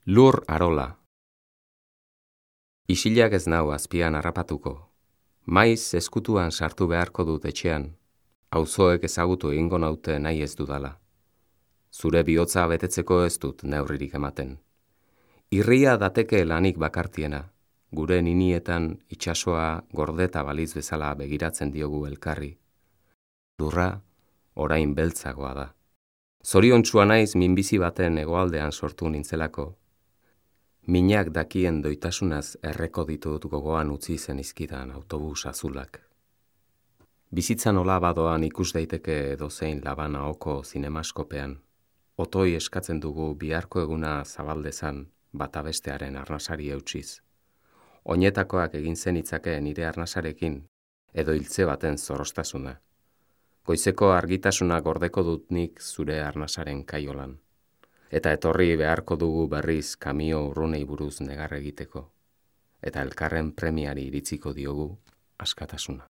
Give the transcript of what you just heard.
Lur arola. Isilak ez nau azpian harrapatuko. Maiz eskutuan sartu beharko dut etxean. Auzoek ezagutu egingo naute nahi ez dudala. Zure bihotza betetzeko ez dut neurririk ematen. Irria dateke lanik bakartiena. Gure ninietan itsasoa gordeta baliz bezala begiratzen diogu elkarri. Lurra orain beltzagoa da. Zoriontsua naiz minbizi baten hegoaldean sortu nintzelako. Minak dakien doitasunaz erreko ditut gogoan utzi zenizkidan autobus azulak. Bizitza nola badoan ikus daiteke edozein Labana oko zinemaskopean. Otoi eskatzen dugu biharko eguna zabaldezan bata bestearen arnasari eutsiz. Oinetakoak egin zenitzake nire arnasarekin edo hiltze baten zorrostasuna. Goizeko argitasuna gordeko dut nik zure arnasaren kaiolan. Eta etorri beharko dugu berriz kamio urrunei buruz negar egiteko. Eta elkarren premiari iritziko diogu askatasuna.